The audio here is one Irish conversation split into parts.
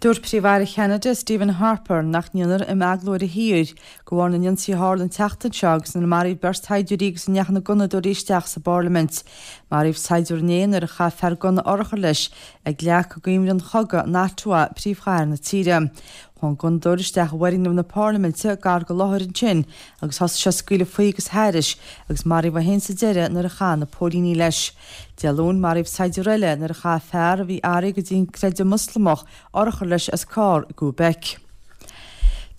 Dúirt Príomh-Aire Cheanada, Stephen Harper, nach ndéanfar imeaglú ar a thír de bharr na n-ionsaí a tharla an tseachtain seo agus inar maraíodh beirt shaighdiúirí agus a ndeachaigh na gunnadóirí isteach sa bParlaimint. Maraíodh saighdiúir inné nuair a chaith fear gunna urchar leis ag leac i gcuimhne an chogaidh in Ottawa, príomhchathair na tíre. Chuaigh an gunnadóir isteach i bhfoirgneamh na Parlaiminte gar go láthair ansin agus thosaigh sé ag scaoileadh faoi agus thairis agus maraíodh é féin sa deireadh nuair a chaith na póilíní leis. Dé Luain, maraíodh saighdiúir eile nuair a chaith fear a bhí athraithe go dtí an creideamh Moslamach urchar leis as carr i gCuabec.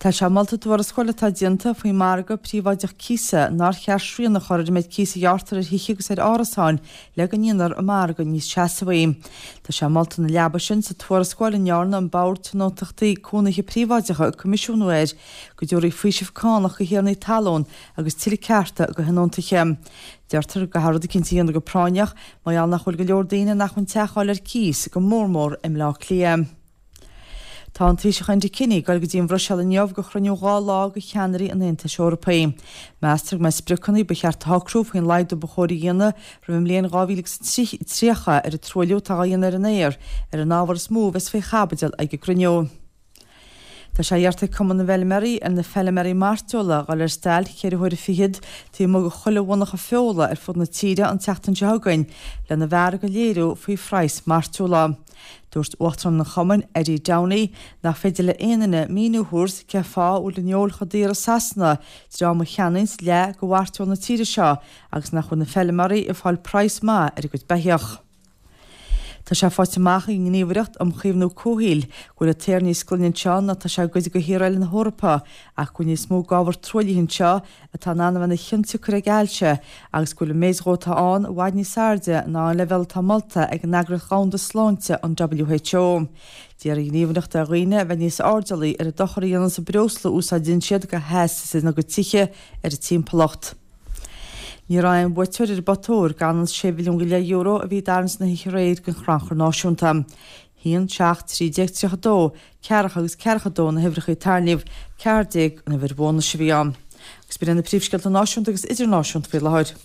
Tá sé molta i dtuarascáil atá déanta faoin margadh príobháideach cíosa nár cheart srian a chur ar an méid cíos a ghearrtar ar thithe agus ar árasáin le go ndéanfar an margadh níos seasmhaí. Tá sé molta ina leaba sin sa tuarascáil a ndearna an Bord Tionóntachtaí Cónaithe Príobháideacha coimisiúnú air go dtabharfaí faoiseamh cánach do thiarnaí talún agus tuilleadh cearta do thionóntaithe. Deirtear go gcaithfear rud eicínt a dhéanamh go práinneach mar gheall nach bhfuil go leor daoine in acmhainn teach a fháil ar cíos, go mór mór i mBleá Cliath. Tá an Taoiseach Enda Kenny ag dul go dtí an Bhruiséil inniu do chruinniú 2 lá de cheannairí an Aontais Eorpaigh. Meastar go mbeidh spriocanna ba cheart a shocrú faoin laghdú ba chóir a dhéanamh roimh an mbliain 2030 ar an truailliú atá á dhéanamh ar an aer ar an ábhar is mó a bheas faoi chaibidil ag an gcruinniú. Tá sé iarrta ag Cumann na bhFeilméaraí ar na feilméaraí mairteola dhul ar stailc cheithre huaire fichead taobh amuigh de chuile mhonarcha feola ar fud na tíre an tseachtain seo chugainn lena bhfearg a léiriú faoi phraghas mairteola. Dúirt Uachtarán an Chumainn, Eddie Downey, nach féidir le aon duine míniú a thabhairt cén fáth a bhfuil an fheoil chomh daor i Sasana dream a cheannaíonns leath de mhairteoil na tíre seo agus nach bhfuil na feilméaraí ag fáil praghas maith ar a gcuid beithíoch. Tá sé faighte amach ag an nGníomhaireacht um Chaomhnú Comhshaoil go bhfuil an t-aer níos glaine anseo ná tá sé i gcuid de thíortha eile na hEorpa ach go bhfuil níos mó d'ábhar truaillithe anseo atá in ann a bheith ina chionsiocair ag ailse agus go bhfuil an méid dhó atá ann i bhfad níos airde ná an leibhéal atá molta ag an Eagraíocht Dhomhanda Sláinte, an WHO. D'iarr an Ghníomhaireacht ar dhaoine a bheith níos airdeallaí ar an dochar a dhéananns an breosla a úsáideann siad do theas ina gcuid tithe ar an timpeallacht. Ní raibh aon bhuaiteoir ar an bpota óir gan an €6 mhilliún go leith a bhí i dtarraingt na hoíche aréir don Chrannchur Náisiúnta. 1, 7, 13, 32, ceathracha agus ceathracha 2 na huimhreacha a tarraingíodh, 14 an uimhir bhónais a bhí ann. Agus b'in iad na príomhscéalta náisiúnta agus idirnáisiúnta faoi láthair.